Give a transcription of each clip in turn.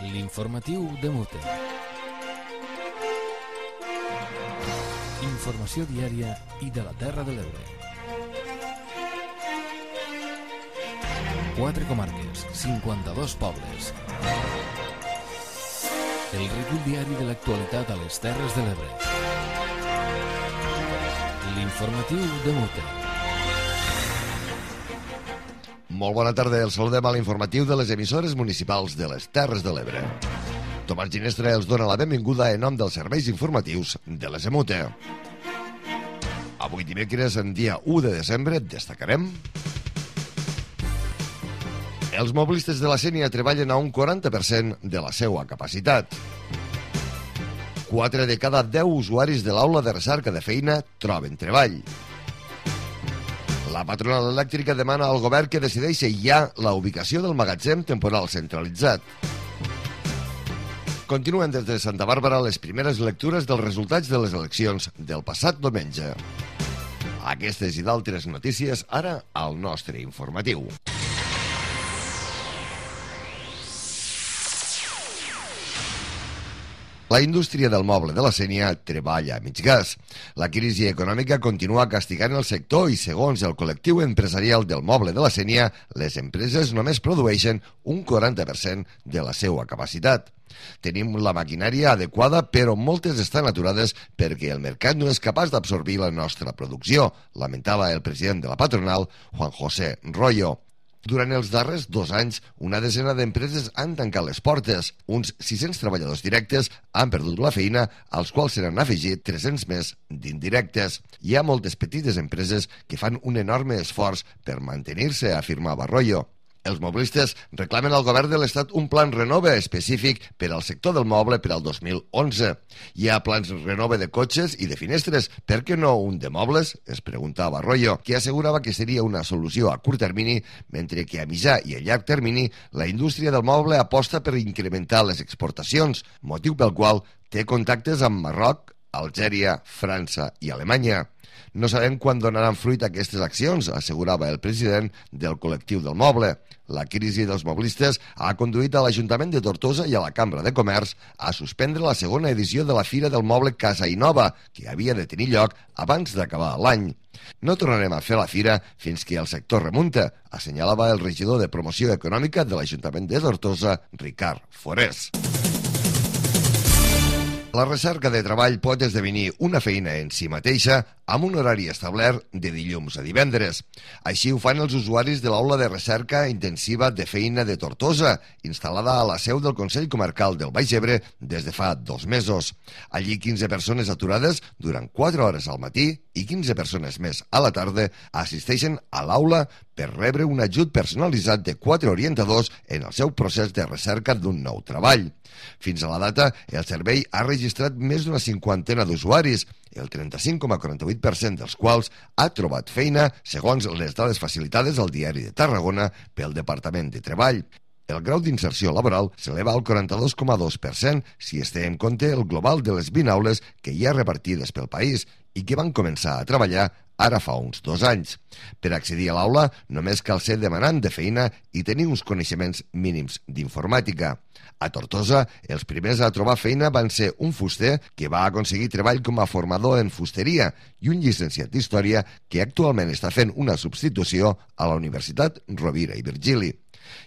L'informatiu de Mute. Informació diària i de la Terra de l'Ebre. 4 comarques, 52 pobles. El recull diari de l'actualitat a les Terres de l'Ebre. L'informatiu de Mute. Molt bona tarda, el saludem a l'informatiu de les emissores municipals de les Terres de l'Ebre. Tomàs Ginestra els dona la benvinguda en nom dels serveis informatius de les EMUTE. Avui dimecres, en dia 1 de desembre, destacarem: els mobilistes de la Sénia treballen a un 40% de la seva capacitat. 4 de cada 10 usuaris de l'aula de recerca de feina troben treball. La patronal elèctrica demana al govern que decideixi ja la ubicació del magatzem temporal centralitzat. Continuen des de Santa Bàrbara les primeres lectures dels resultats de les eleccions del passat diumenge. Aquestes i d'altres notícies ara al nostre informatiu. La indústria del moble de la Sénia treballa a mig gas. La crisi econòmica continua castigant el sector i, segons el col·lectiu empresarial del moble de la Sénia, les empreses només produeixen un 40% de la seva capacitat. Tenim la maquinària adequada, però moltes estan aturades perquè el mercat no és capaç d'absorbir la nostra producció, lamentava el president de la patronal, Juan José Royo. Durant els darrers 2 anys, una desena d'empreses han tancat les portes. Uns 600 treballadors directes han perdut la feina, als quals se n'han afegit 300 més d'indirectes. Hi ha moltes petites empreses que fan un enorme esforç per mantenir-se, afirmava Royo. Els mobilistes reclamen al govern de l'Estat un plan Renove específic per al sector del moble per al 2011. Hi ha plans Renove de cotxes i de finestres, per què no un de mobles? Es preguntava Royo, que assegurava que seria una solució a curt termini, mentre que a mitjà i a llarg termini la indústria del moble aposta per incrementar les exportacions, motiu pel qual té contactes amb Marroc, Algèria, França i Alemanya. No sabem quan donaran fruit aquestes accions, assegurava el president del col·lectiu del moble. La crisi dels mobilistes ha conduït a l'Ajuntament de Tortosa i a la Cambra de Comerç a suspendre la segona edició de la Fira del Moble Casa i Nova, que havia de tenir lloc abans d'acabar l'any. No tornarem a fer la fira fins que el sector remunta, assenyalava el regidor de Promoció Econòmica de l'Ajuntament de Tortosa, Ricard Forés. La recerca de treball pot esdevenir una feina en si mateixa amb un horari establert de dilluns a divendres. Així ho fan els usuaris de l'Aula de Recerca Intensiva de Feina de Tortosa, instal·lada a la seu del Consell Comarcal del Baix Ebre des de fa 2 mesos. Allí 15 persones aturades durant 4 hores al matí i 15 persones més a la tarda assisteixen a l'aula per rebre un ajut personalitzat de 4 orientadors en el seu procés de recerca d'un nou treball. Fins a la data, el servei ha registrat més d'una 50ena d'usuaris, el 35,48% dels quals ha trobat feina, segons les dades facilitades al Diari de Tarragona pel Departament de Treball. El grau d'inserció laboral s'eleva al 42,2% si es té en compte el global de les 20 aules que hi ha repartides pel país i que van començar a treballar ara fa uns 2 anys. Per accedir a l'aula només cal ser demanant de feina i tenir uns coneixements mínims d'informàtica. A Tortosa, els primers a trobar feina van ser un fuster que va aconseguir treball com a formador en fusteria i un llicenciat d'Història que actualment està fent una substitució a la Universitat Rovira i Virgili.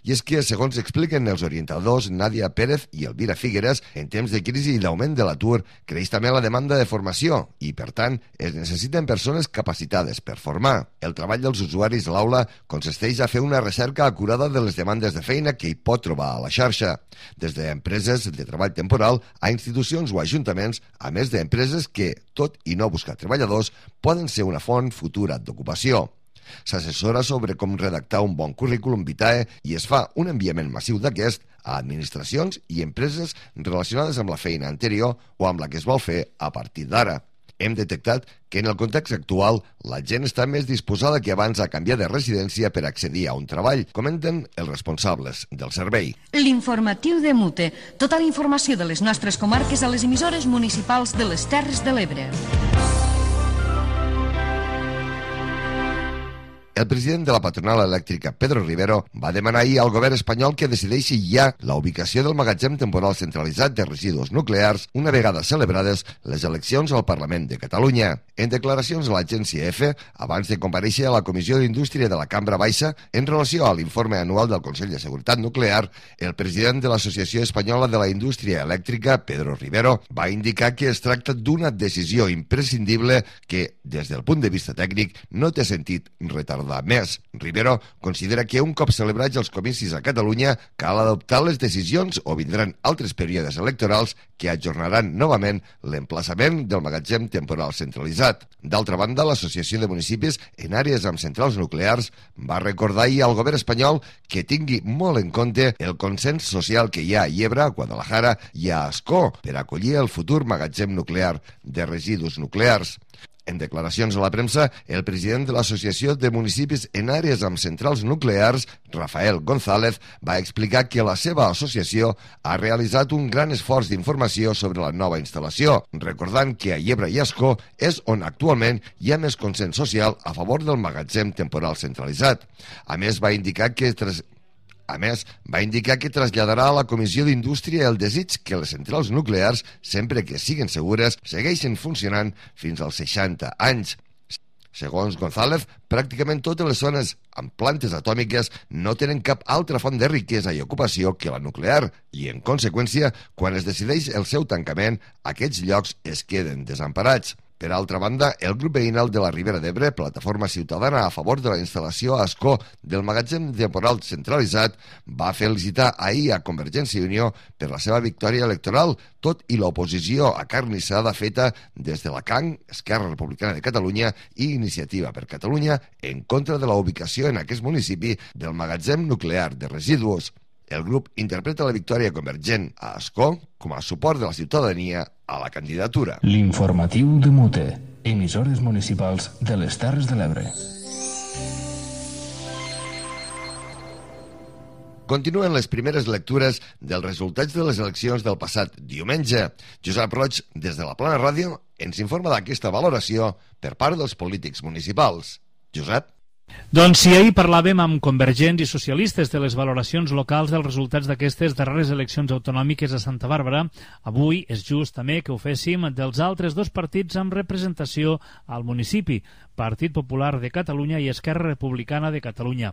I és que, segons expliquen els orientadors Nàdia Pérez i Elvira Figueres, en temps de crisi i d'augment de l'atur, creix també la demanda de formació i, per tant, es necessiten persones capacitades per formar. El treball dels usuaris a l'aula consisteix a fer una recerca acurada de les demandes de feina que hi pot trobar a la xarxa, des d'empreses de treball temporal a institucions o ajuntaments, a més d'empreses que, tot i no buscar treballadors, poden ser una font futura d'ocupació. S'assessora sobre com redactar un bon currículum vitae i es fa un enviament massiu d'aquest a administracions i empreses relacionades amb la feina anterior o amb la que es vol fer a partir d'ara. Hem detectat que en el context actual la gent està més disposada que abans a canviar de residència per accedir a un treball, comenten els responsables del servei. L'informatiu de Mute. Tota la informació de les nostres comarques a les emissores municipals de les Terres de l'Ebre. El president de la patronal elèctrica, Pedro Rivero, va demanar ahir al govern espanyol que decideixi ja la ubicació del magatzem temporal centralitzat de residus nuclears una vegada celebrades les eleccions al Parlament de Catalunya. En declaracions a l'agència EFE, abans de comparèixer a la Comissió d'Indústria de la Cambra Baixa en relació a l'informe anual del Consell de Seguretat Nuclear, el president de l'Associació Espanyola de la Indústria Elèctrica, Pedro Rivero, va indicar que es tracta d'una decisió imprescindible que, des del punt de vista tècnic, no té sentit retardar més. Rivero considera que un cop celebrats els comicis a Catalunya cal adoptar les decisions o vindran altres períodes electorals que ajornaran novament l'emplaçament del magatzem temporal centralitzat. D'altra banda, l'Associació de Municipis en àrees amb centrals nuclears va recordar ahir al govern espanyol que tingui molt en compte el consens social que hi ha a Yebra, a Guadalajara i a Ascó per acollir el futur magatzem nuclear de residus nuclears. En declaracions a la premsa, el president de l'Associació de Municipis en àrees amb centrals nuclears, Rafael González, va explicar que la seva associació ha realitzat un gran esforç d'informació sobre la nova instal·lació, recordant que a Yebra i Ascó és on actualment hi ha més consens social a favor del magatzem temporal centralitzat. A més, va indicar que traslladarà a la Comissió d'Indústria el desig que les centrals nuclears, sempre que siguin segures, segueixin funcionant fins als 60 anys. Segons González, pràcticament totes les zones amb plantes atòmiques no tenen cap altra font de riquesa i ocupació que la nuclear i, en conseqüència, quan es decideix el seu tancament, aquests llocs es queden desemparats. Per altra banda, el grup veïnal de la Ribera d'Ebre, Plataforma Ciutadana a favor de la instal·lació a Ascó del magatzem temporal centralitzat, va felicitar ahir a Convergència i Unió per la seva victòria electoral, tot i l'oposició acarnissada feta des de la CAN, Esquerra Republicana de Catalunya i Iniciativa per Catalunya en contra de la ubicació en aquest municipi del magatzem nuclear de residus. El grup interpreta la victòria convergent a Ascó com a suport de la ciutadania a la candidatura. L'informatiu de Mute, emissores municipals de les Terres de l'Ebre. Continuen les primeres lectures dels resultats de les eleccions del passat diumenge. Josep Roig, des de la Plana Ràdio, ens informa d'aquesta valoració per part dels polítics municipals. Josep? Doncs si ahir parlàvem amb convergents i socialistes de les valoracions locals dels resultats d'aquestes darreres eleccions autonòmiques a Santa Bàrbara, avui és just també que ho féssim dels altres dos partits amb representació al municipi, Partit Popular de Catalunya i Esquerra Republicana de Catalunya.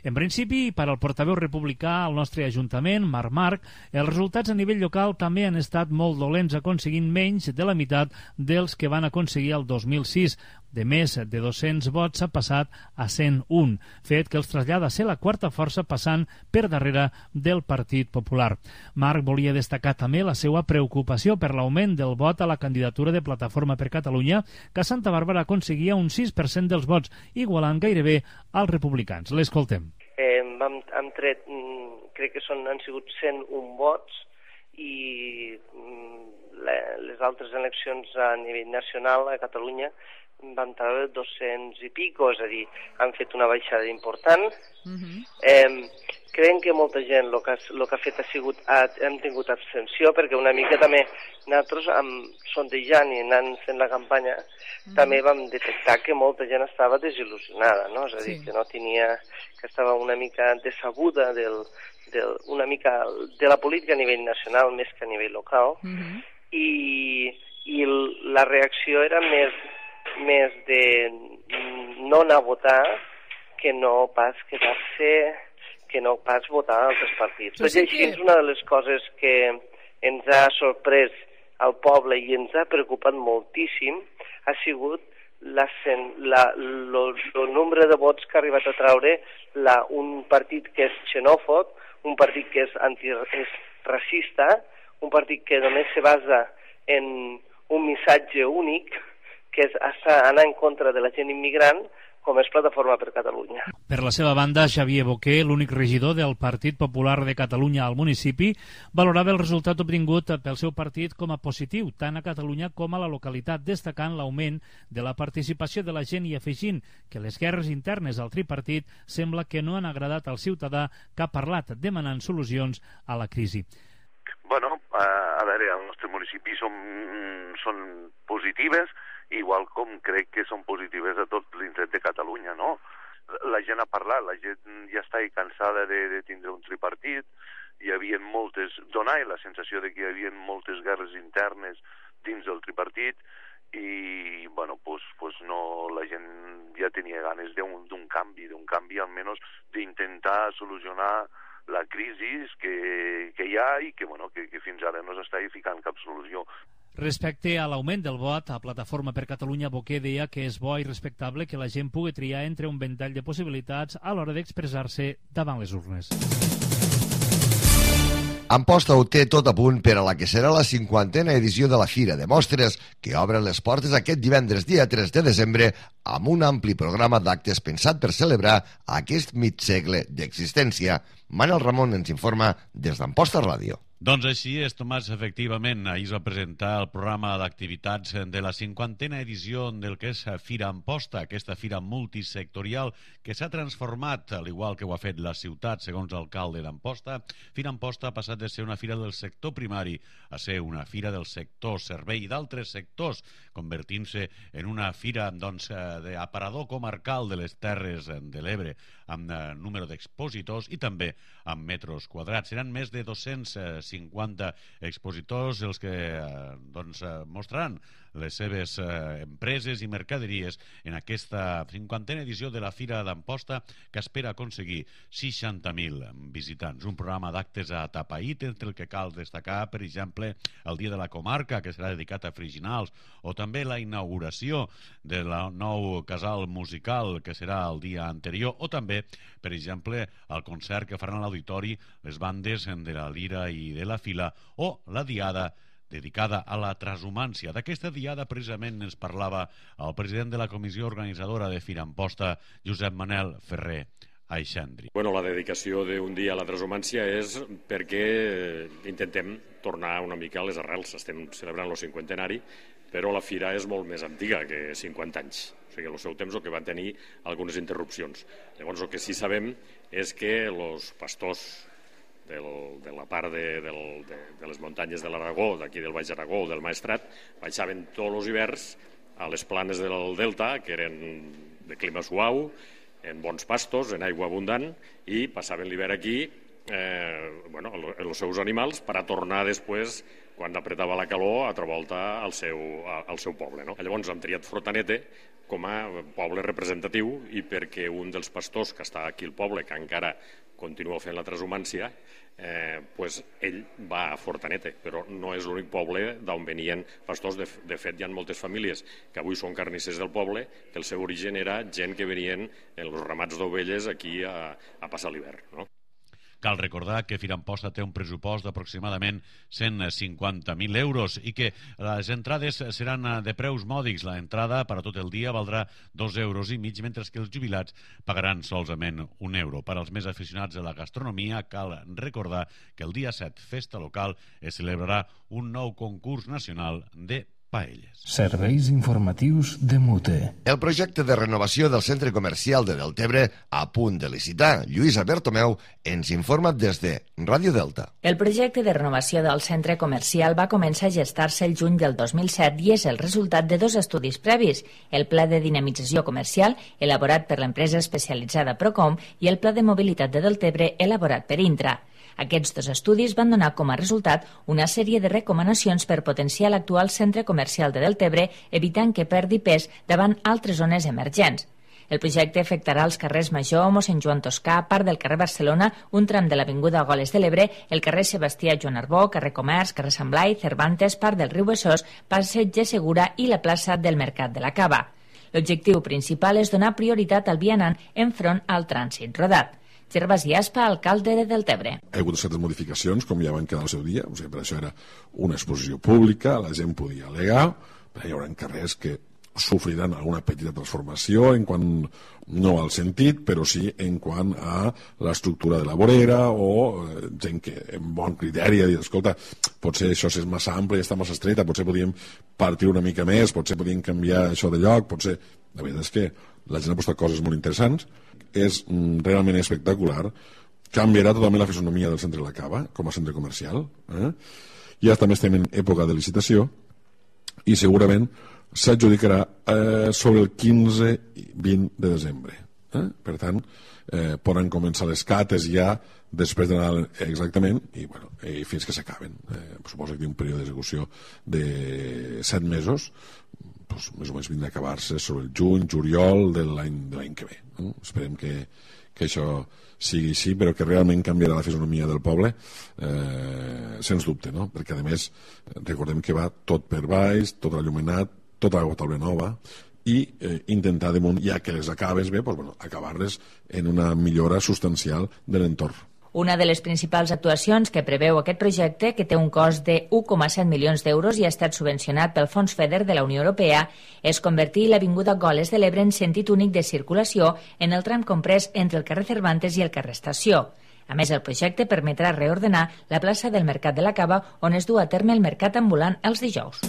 En principi, per al portaveu republicà al nostre Ajuntament, Marc Marc, els resultats a nivell local també han estat molt dolents, aconseguint menys de la meitat dels que van aconseguir el 2006. De més de 200 vots s'ha passat a 101, fet que els trasllada a ser la quarta força passant per darrere del Partit Popular. Marc volia destacar també la seva preocupació per l'augment del vot a la candidatura de Plataforma per Catalunya, que a Santa Bàrbara aconseguia un 6% dels vots, igualant gairebé als republicans. L'escoltem. Hem tret, crec que han sigut 101 vots i les altres eleccions a nivell nacional a Catalunya van treure 200 i pico, és a dir, han fet una baixada important. Creiem que molta gent el que ha fet ha sigut, hem tingut abstenció, perquè una mica també nosaltres, sondejant i anant fent la campanya, també vam detectar que molta gent estava desil·lusionada, no? És a dir, que no tenia, que estava una mica decebuda una mica de la política a nivell nacional més que a nivell local, i la reacció era més de no anar a votar que no pas quedar-se, que no pas votar a altres partits. Tot i així, una de les coses que ens ha sorprès al poble i ens ha preocupat moltíssim ha sigut el nombre de vots que ha arribat a treure un partit que és xenòfob, un partit que és racista, un partit que només se basa en un missatge únic, que és anar en contra de la gent immigrant, com és Plataforma per Catalunya. Per la seva banda, Xavier Boquer, l'únic regidor del Partit Popular de Catalunya al municipi, valorava el resultat obtingut pel seu partit com a positiu, tant a Catalunya com a la localitat, destacant l'augment de la participació de la gent i afegint que les guerres internes al tripartit sembla que no han agradat al ciutadà que ha parlat demanant solucions a la crisi. Bueno, a veure, al nostre municipi són positives, igual com crec que són positives a tot l'indret de Catalunya, no? la gent ha parlat, la gent ja està cansada de tindre un tripartit, hi havia moltes, donava la sensació de que hi havia moltes guerres internes dins del tripartit, i bueno, pues no, la gent ja tenia ganes d'un canvi almenys d'intentar solucionar la crisi que hi ha i que fins ara no s'està ficant cap solució. Respecte a l'augment del vot, a Plataforma per Catalunya, Boquer deia que és bo i respectable que la gent pugui triar entre un ventall de possibilitats a l'hora d'expressar-se davant les urnes. Amposta ho té tot a punt per a la que serà la 50a edició de la Fira de Mostres, que obre les portes aquest divendres dia 3 de desembre amb un ampli programa d'actes pensat per celebrar aquest mig segle d'existència. Manel Ramon ens informa des d'Amposta Ràdio. Doncs així és, Tomàs, efectivament. Ahir es va presentar el programa d'activitats de la 50a edició del que és Fira Amposta, aquesta fira multisectorial que s'ha transformat, al igual que ho ha fet la ciutat, segons l'alcalde d'Amposta. Fira Amposta ha passat de ser una fira del sector primari a ser una fira del sector servei i d'altres sectors, convertint-se en una fira d'aparador comarcal de les Terres de l'Ebre, amb número d'expositors i també amb metres quadrats. Seran més de 250 expositors els que mostraran les seves empreses i mercaderies en aquesta 50a edició de la Fira d'Amposta, que espera aconseguir 60.000 visitants. Un programa d'actes a tapaït, entre el que cal destacar, per exemple, el Dia de la Comarca, que serà dedicat a Freginals, o també la inauguració del nou casal musical, que serà el dia anterior, o també, per exemple, el concert que faran a l'auditori les bandes de la Lira i de la Fila, o la diada dedicada a la transhumància. D'aquesta diada precisament ens parlava el president de la comissió organitzadora de Fira Amposta, Josep Manel Ferrer Aixandri. Bueno, la dedicació d'un dia a la transhumància és perquè intentem tornar una mica a les arrels. Estem celebrant el 50enari, però la fira és molt més antiga que 50 anys. O sigui, al seu temps el que van tenir algunes interrupcions. Llavors, el que sí sabem és que els pastors de la part de les muntanyes de l'Aragó, d'aquí del Baix Aragó o del Maestrat, baixaven tots els hiverns a les planes del delta, que eren de clima suau, en bons pastos, en aigua abundant, i passaven l'hivern aquí els seus animals per a tornar després, quan apretava la calor, a altra volta al seu poble. Llavors hem triat Fortanete com a poble representatiu, i perquè un dels pastors que està aquí al poble, que encara continua fent la transhumància, ell va a Fortanete, però no és l'únic poble d'on venien pastors. De fet, hi ha moltes famílies que avui són carnissers del poble, que el seu origen era gent que venien en els ramats d'ovelles aquí a passar l'hivern. Cal recordar que Fira Amposta té un pressupost d'aproximadament 150.000 euros i que les entrades seran de preus mòdics. L'entrada per a tot el dia valdrà 2,5 euros, mentre que els jubilats pagaran solament 1 euro. Per als més aficionats a la gastronomia, cal recordar que el dia 7, festa local, es celebrarà un nou concurs nacional de paelles. Serveis informatius de Mute. El projecte de renovació del centre comercial de Deltebre, a punt de licitar. Lluïsa Bertomeu ens informa des de Ràdio Delta. El projecte de renovació del centre comercial va començar a gestar-se el juny del 2007 i és el resultat de 2 estudis previs, el Pla de Dinamització Comercial, elaborat per l'empresa especialitzada Procom, i el Pla de Mobilitat de Deltebre, elaborat per Intra. Aquests 2 estudis van donar com a resultat una sèrie de recomanacions per potenciar l'actual centre comercial de Deltebre, evitant que perdi pes davant altres zones emergents. El projecte afectarà els carrers Major, Mossèn Joan Toscà, part del carrer Barcelona, un tram de l'avinguda Goles de l'Ebre, el carrer Sebastià Joan Arbó, carrer Comerç, carrer Sant Blai, Cervantes, part del riu Besòs, passeig de Segura i la plaça del Mercat de la Cava. L'objectiu principal és donar prioritat al vianant enfront al trànsit rodat. Gervasi Aspa, alcalde de Deltebre. Hi ha hagut certes modificacions, com ja van quedar al seu dia, o sigui, per això era una exposició pública, la gent podia al·legar, però hi haurà carrers que sofriran alguna petita transformació en quant no al sentit, però sí en quant a l'estructura de la vorera o gent que amb bon criteri ha dit, escolta, potser això és massa ample i està massa estreta, potser podíem partir una mica més, potser podíem canviar això de lloc, potser... La veritat és que la gent ha posat coses molt interessants, és realment espectacular, canviarà totalment la fisonomia del centre de la Cava com a centre comercial, ja també estem en època de licitació i segurament s'adjudicarà sobre el 15 i 20 de desembre. Per tant, poden començar les cates ja després de Nadal exactament i fins que s'acaben. Suposo que té un període d'execució de 7 mesos, més o menys vindrà a acabar-se sobre el juny, juliol de l'any que ve. Esperem que això sigui així, però que realment canviarà la fisonomia del poble, sens dubte, no? Perquè a més recordem que va tot per baix, tot il·luminat, tota la taula nova, i intentar damunt, ja que les acabes bé, acabar-les en una millora substancial de l'entorn. Una de les principals actuacions que preveu aquest projecte, que té un cost de 1,7 milions d'euros i ha estat subvencionat pel Fons FEDER de la Unió Europea, és convertir l'Avinguda Goles de l'Ebre en sentit únic de circulació en el tram comprès entre el carrer Cervantes i el carrer Estació. A més, el projecte permetrà reordenar la plaça del Mercat de la Cava, on es du a terme el mercat ambulant els dijous.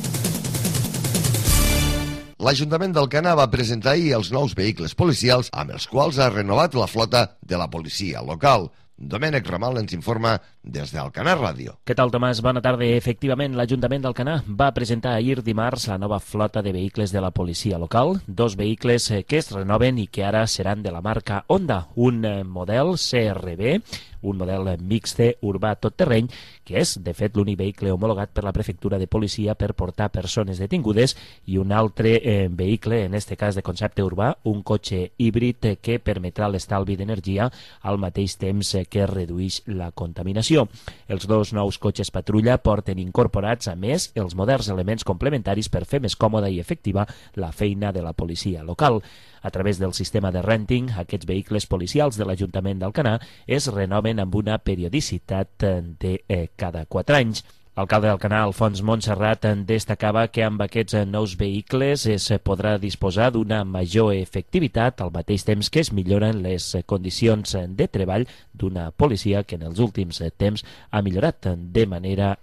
L'Ajuntament d'Alcanar va presentar ahir els nous vehicles policials amb els quals ha renovat la flota de la policia local. Domènec Ramal ens informa des d'Alcanar Ràdio. Què tal, Tomàs? Bona tarda. Efectivament, l'Ajuntament d'Alcanar va presentar ahir dimarts la nova flota de vehicles de la policia local, 2 vehicles que es renoven i que ara seran de la marca Honda, un model CRB, un model mixte urbà tot terreny, que és, de fet, l'únic vehicle homologat per la prefectura de policia per portar persones detingudes, i un altre vehicle, en este cas de concepte urbà, un cotxe híbrid que permetrà l'estalvi d'energia al mateix temps que redueix la contaminació. Els 2 nous cotxes patrulla porten incorporats, a més, els moderns elements complementaris per fer més còmoda i efectiva la feina de la policia local. A través del sistema de renting, aquests vehicles policials de l'Ajuntament d'Alcanar es renoven amb una periodicitat de cada 4 anys. L'alcalde d'Alcanar, Alfons Montserrat, destacava que amb aquests nous vehicles es podrà disposar d'una major efectivitat, al mateix temps que es milloren les condicions de treball d'una policia que en els últims temps ha millorat de manera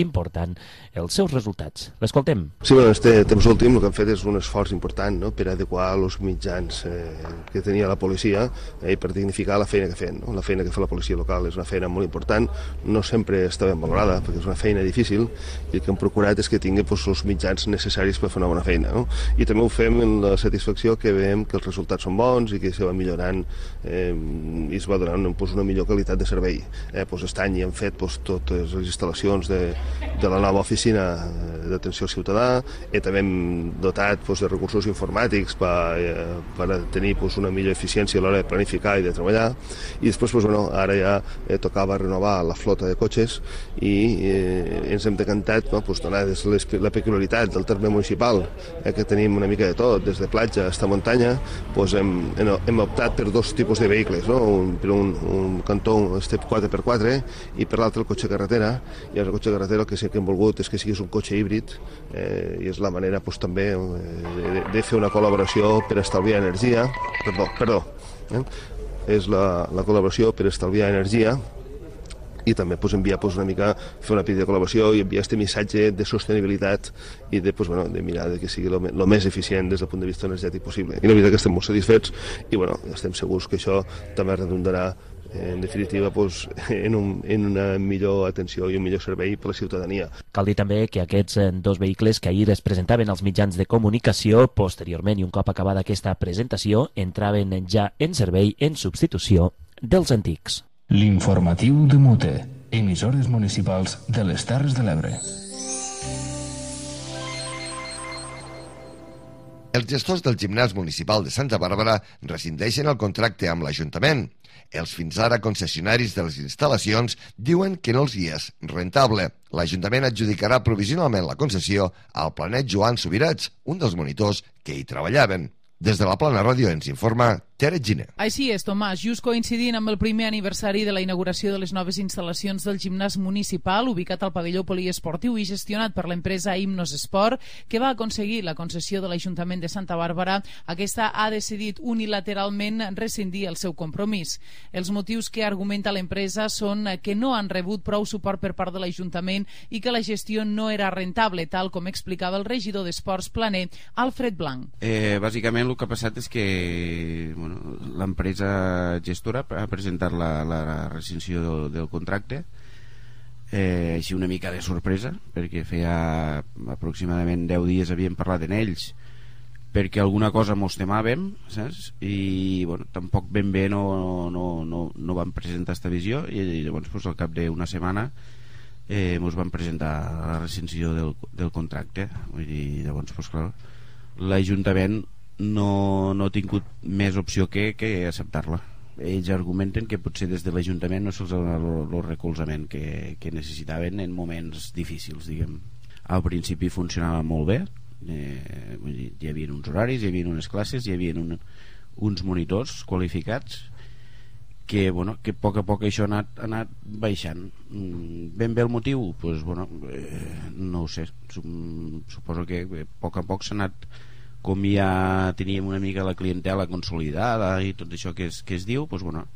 important els seus resultats. L'escoltem. Sí, en aquest temps últim el que han fet és un esforç important, no?, per adequar els mitjans que tenia la policia i per dignificar la feina que fan. La feina que fa la policia local és una feina molt important, no sempre està ben valorada, perquè és una feina difícil, i el que hem procurat és que tingui els mitjans necessaris per fer una bona feina, no? I també ho fem amb la satisfacció que veiem que els resultats són bons i que se va millorant i es va donant una millor qualitat de servei. Aquest any hi hem fet totes les instal·lacions de la nova oficina d'atenció al ciutadà, i també hem dotat de recursos informàtics per tenir una millor eficiència a l'hora de planificar i de treballar, i després ara ja tocava renovar la flota de cotxes i ens hem decantat, donades la peculiaritat del terme municipal, que tenim una mica de tot, des de platja fins a muntanya, hem optat per 2 tipus de vehicles, per un cantó un Step 4x4 i per l'altre el cotxe carretera, i el cotxe carretera el que sí que hem volgut és que siguis un cotxe híbrid, i és la manera també de fer una col·laboració per estalviar energia, és la col·laboració per estalviar energia, i també enviar una mica, fer una petita col·laboració i enviar aquest missatge de sostenibilitat i de mirar que sigui el més eficient des del punt de vista energètic possible. I la veritat que estem molt satisfets i estem segurs que això també redundarà en definitiva en una millor atenció i un millor servei per a la ciutadania. Cal dir també que aquests 2 vehicles que ahir es presentaven als mitjans de comunicació, posteriorment i un cop acabada aquesta presentació, entraven ja en servei en substitució dels antics. L'informatiu de Mute, emissores municipals de les Terres de l'Ebre. Els gestors del gimnàs municipal de Santa Bàrbara rescindeixen el contracte amb l'Ajuntament. Els fins ara concessionaris de les instal·lacions diuen que no els hi és rentable. L'Ajuntament adjudicarà provisionalment la concessió al Planet Joan Subirats, un dels monitors que hi treballaven. Des de la Plana Ràdio ens informa Tere Giner. Així és, Tomàs, just coincidint amb el primer aniversari de la inauguració de les noves instal·lacions del gimnàs municipal, ubicat al pavelló poliesportiu i gestionat per l'empresa Himnos Esport, que va aconseguir la concessió de l'Ajuntament de Santa Bàrbara, aquesta ha decidit unilateralment rescindir el seu compromís. Els motius que argumenta l'empresa són que no han rebut prou suport per part de l'Ajuntament i que la gestió no era rentable, tal com explicava el regidor d'Esports Planer, Alfred Blanc. Bàsicament el que ha passat és que l'empresa gestora ha presentat la rescissió del contracte, així una mica de sorpresa, perquè feia aproximadament 10 dies havíem parlat en ells perquè alguna cosa mos temàvem, saps? I bueno, tampoc ben bé no van presentar esta visió, i llavors pues, al cap d'una setmana ens van presentar la rescissió del contracte. Vull dir, llavors pues, clar, l'Ajuntament no ha tingut més opció que acceptar-la. Ells argumenten que potser des de l'Ajuntament no se'ls ha donat el recolzament que necessitaven en moments difícils, diguem. Al principi funcionava molt bé, vull dir, hi havia uns horaris, hi havia unes classes, hi havia uns monitors qualificats que, bueno, que a poc això ha anat baixant. Ben bé el motiu? Pues, bueno, no ho sé, suposo que a poc s'ha anat, com ja teníem una mica la clientela consolidada i tot això que es diu, pues, bueno,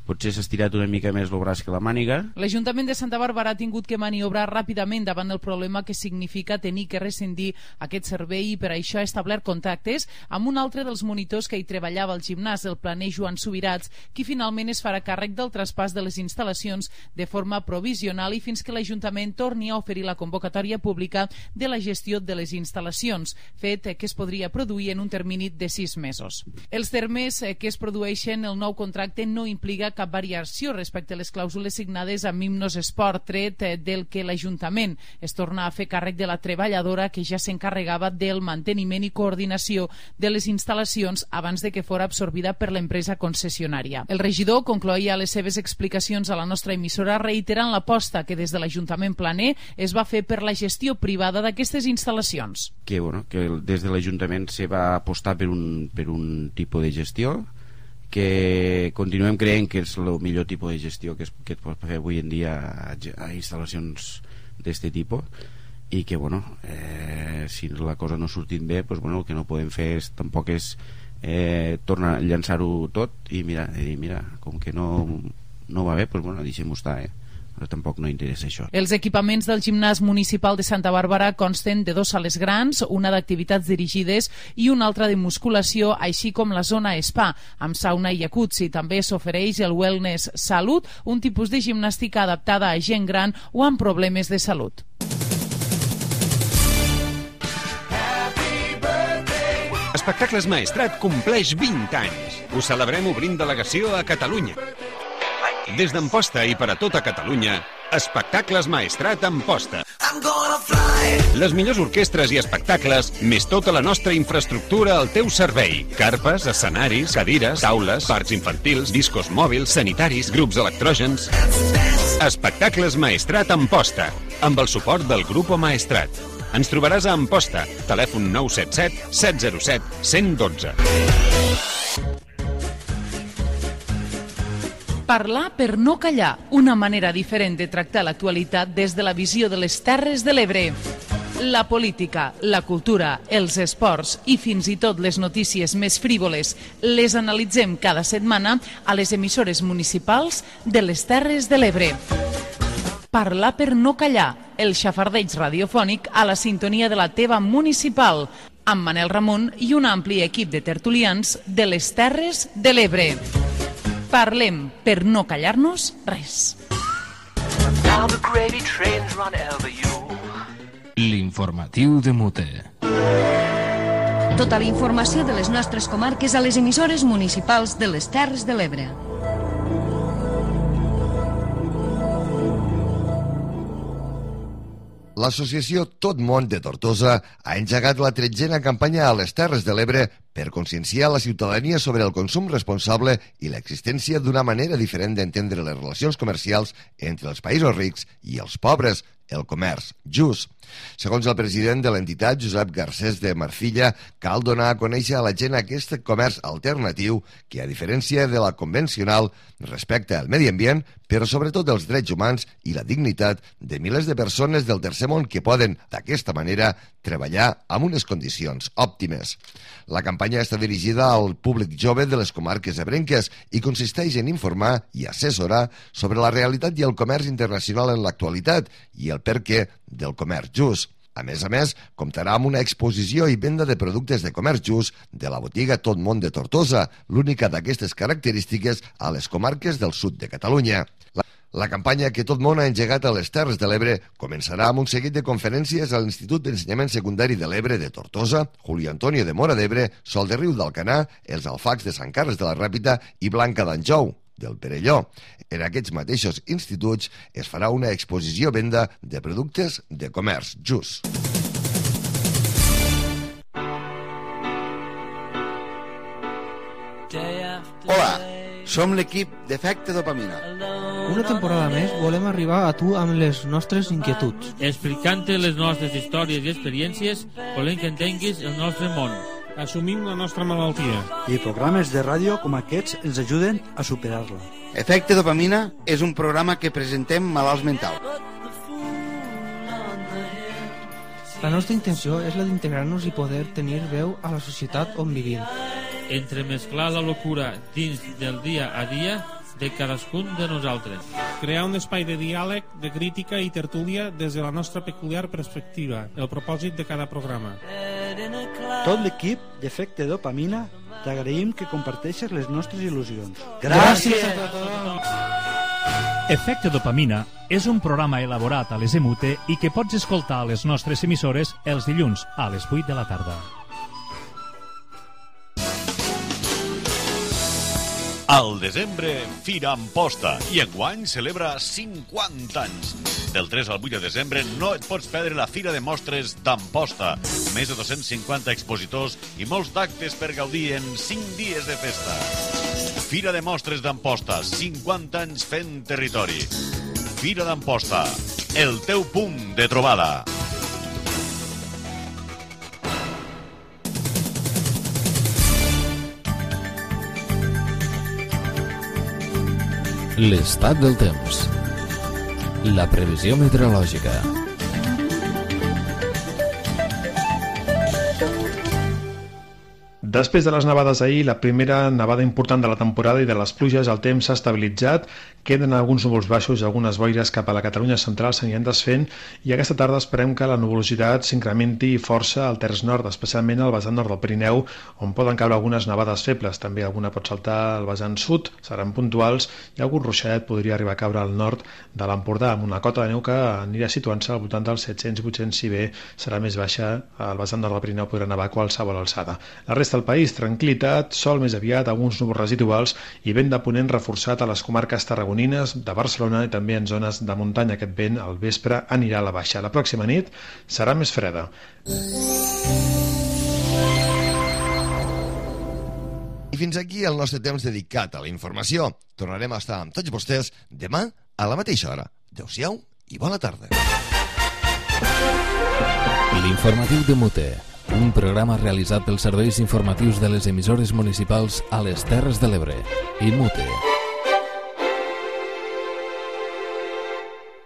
potser s'ha estirat una mica més el braç que la màniga. L'Ajuntament de Santa Bàrbara ha tingut que maniobrar ràpidament davant del problema que significa tenir que rescindir aquest servei i per això ha establert contactes amb un altre dels monitors que hi treballava al gimnàs, el planer Joan Subirats, qui finalment es farà càrrec del traspàs de les instal·lacions de forma provisional i fins que l'Ajuntament torni a oferir la convocatòria pública de la gestió de les instal·lacions, fet que es podria produir en un termini de 6 mesos. Els termes que es produeixen el nou contracte no implica cap variació respecte a les clàusules signades amb Himnos Esport, tret del que l'Ajuntament es torna a fer càrrec de la treballadora que ja s'encarregava del manteniment i coordinació de les instal·lacions abans de que fora absorbida per l'empresa concessionària. El regidor concloïa les seves explicacions a la nostra emissora reiterant l'aposta que des de l'Ajuntament planer es va fer per la gestió privada d'aquestes instal·lacions. Que des de l'Ajuntament se va apostar per un tipus de gestió que continuem creient que és el millor tipus de gestió que es pot fer avui en dia a instal·lacions d'aquest tipus, i que bueno, si la cosa no ha sortit bé, pues, bueno, el que no podem fer tampoc és tornar a llançar-ho tot i mira, com que no va bé, pues, bueno, deixem-ho estar, però tampoc no interessa això. Els equipaments del gimnàs municipal de Santa Bàrbara consten de 2 sales grans, una d'activitats dirigides i una altra de musculació, així com la zona spa, amb sauna i jacuzzi. També s'ofereix el Wellness Salut, un tipus de gimnàstica adaptada a gent gran o amb problemes de salut. Espectacles Maestrat compleix 20 anys. Ho celebrem obrint delegació a Catalunya. Des d'Amposta i per a tota Catalunya, Espectacles Maestrat Amposta. Les millors orquestres i espectacles, més tota la nostra infraestructura al teu servei. Carpes, escenaris, cadires, taules, parcs infantils, discos mòbils, sanitaris, grups electrògens. Espectacles Maestrat Amposta, amb el suport del Grupo Maestrat. Ens trobaràs a Amposta, telèfon 977 707 112. Parlar per no callar, una manera diferent de tractar l'actualitat des de la visió de les Terres de l'Ebre. La política, la cultura, els esports i fins i tot les notícies més frívoles les analitzem cada setmana a les emissores municipals de les Terres de l'Ebre. Parlar per no callar, el xafardeig radiofònic a la sintonia de la teva municipal, amb Manel Ramon i un ampli equip de tertulians de les Terres de l'Ebre. Parlem per no callar-nos res. L'informatiu de Mute. Tota la informació de les nostres comarques a les emissores municipals de les Terres de l'Ebre. L'associació Tot Món de Tortosa ha engegat la 13a campanya a les Terres de l'Ebre per conscienciar la ciutadania sobre el consum responsable i l'existència d'una manera diferent d'entendre les relacions comercials entre els països rics i els pobres, el comerç just. Segons el president de l'entitat, Josep Garcés de Marcilla, cal donar a conèixer a la gent aquest comerç alternatiu que, a diferència de la convencional, respecta el medi ambient, però sobretot els drets humans i la dignitat de milers de persones del tercer món que poden, d'aquesta manera, treballar amb unes condicions òptimes. La campanya està dirigida al públic jove de les comarques ebrenques i consisteix en informar i assessorar sobre la realitat i el comerç internacional en l'actualitat i el perquè del comerç just. A més, comptarà amb una exposició i venda de productes de comerç just de la botiga Tot Món de Tortosa, l'única d'aquestes característiques a les comarques del sud de Catalunya. La campanya que tot món ha engegat a les Terres de l'Ebre començarà amb un seguit de conferències a l'Institut d'Ensenyament Secundari de l'Ebre de Tortosa, Julio Antonio de Móra d'Ebre, Sol de Riu d'Alcanar, els Alfacs de Sant Carles de la Ràpita i Blanca d'Anjou, del Perelló. En aquests mateixos instituts es farà una exposició-venda de productes de comerç just. Hola, som l'equip d'Efecte Dopamina. Una temporada més volem arribar a tu amb les nostres inquietuds. Explicant-te les nostres històries i experiències, volem que entenguis el nostre món. Assumim la nostra malaltia. I programes de ràdio com aquests ens ajuden a superar-la. Efecte Dopamina és un programa que presentem malalts mentals. La nostra intenció és la d'integrar-nos i poder tenir veu a la societat on vivim. Entremesclar la locura dins del dia a dia de cadascun de nosaltres. Crear un espai de diàleg, de crítica i tertúlia des de la nostra peculiar perspectiva, el propòsit de cada programa. Tot l'equip d'Efecte Dopamina t'agraïm que comparteixes les nostres il·lusions. Gràcies a tothom! Efecte Dopamina és un programa elaborat a les EMUTE i que pots escoltar a les nostres emissores els dilluns a les 8 de la tarda. Al desembre, Fira Amposta, i enguany celebra 50 anys. Del 3 al 8 de desembre no et pots perdre la Fira de Mostres d'Amposta. Més de 250 expositors i molts d'actes per gaudir en 5 dies de festa. Fira de Mostres d'Amposta, 50 anys fent territori. Fira d'Amposta, el teu punt de trobada. L'estat del temps. La previsió meteorològica. Després de les nevades ahir, la primera nevada important de la temporada i de les pluges, el temps s'ha estabilitzat, queden alguns núvols baixos i algunes boires cap a la Catalunya central s'aniran desfent, i aquesta tarda esperem que la nuvolositat s'incrementi força al terç nord, especialment al vessant nord del Pirineu, on poden caure algunes nevades febles. També alguna pot saltar al vessant sud, seran puntuals, i algun ruixadet podria arribar a caure al nord de l'Empordà, amb una cota de neu que anirà situant-se al voltant dels 700-800, si bé serà més baixa al vessant nord del Pirineu, podrà nevar a qualsevol alçada. La resta del país, tranquil·litat, sol més aviat, alguns núvols residuals i vent de ponent reforçat a les comarques tarragonines, de Barcelona i també en zones de muntanya. Aquest vent al vespre anirà a la baixa. La pròxima nit serà més freda. I fins aquí el nostre temps dedicat a la informació. Tornarem a estar amb tots vostès demà a la mateixa hora. Adéu-siau i bona tarda. L'informatiu de Mute, un programa realitzat pels serveis informatius de les emissores municipals a les Terres de l'Ebre i Mute.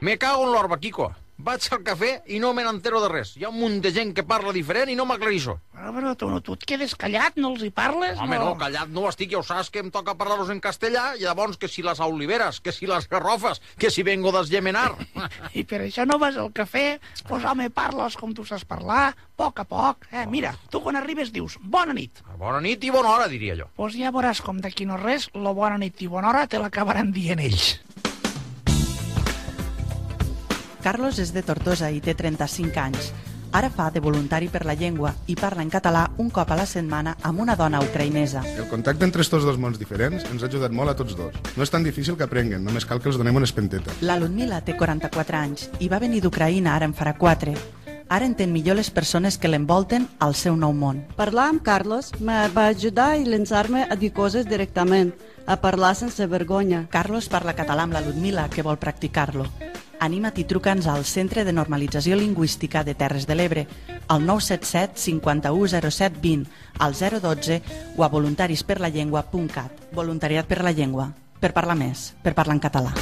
Me cago en l'orba, Quico. Vaig al cafè i no me n'entero de res. Hi ha un munt de gent que parla diferent i no m'aclarixo. Però tu et quedes callat, no els hi parles? Home, no, callat no estic, ja ho saps que em toca parlar-los en castellà, i llavors que si les oliveres, que si les garrofes, que si vengo d'Esgemenar. I per això no vas al cafè? Pues home, parles com tu saps parlar, a poc. Mira, tu quan arribes dius bona nit. Bona nit i bona hora, diria jo. Pues ja veuràs com d'aquí no res, la bona nit i bona hora te l'acabaran dient ells. Carlos és de Tortosa i té 35 anys. Ara fa de voluntari per la llengua i parla en català un cop a la setmana amb una dona ucraïnesa. El contacte entre estos dos mons diferents ens ha ajudat molt a tots dos. No és tan difícil que aprenguen, només cal que els donem una espenteta. La Ludmila té 44 anys i va venir d'Ucraïna ara en farà 4. Ara entén millor les persones que l'envolten al seu nou món. Parlar amb Carlos me va ajudar a llançar-me a dir coses directament, a parlar sense vergonya. Carlos parla català amb la Ludmila, que vol practicar-lo. Anima't i truca'ns al Centre de Normalització Lingüística de Terres de l'Ebre, al 977 51 07 20, al 012 o a voluntarisperlallengua.cat. Voluntariat per la llengua, per parlar més, per parlar en català.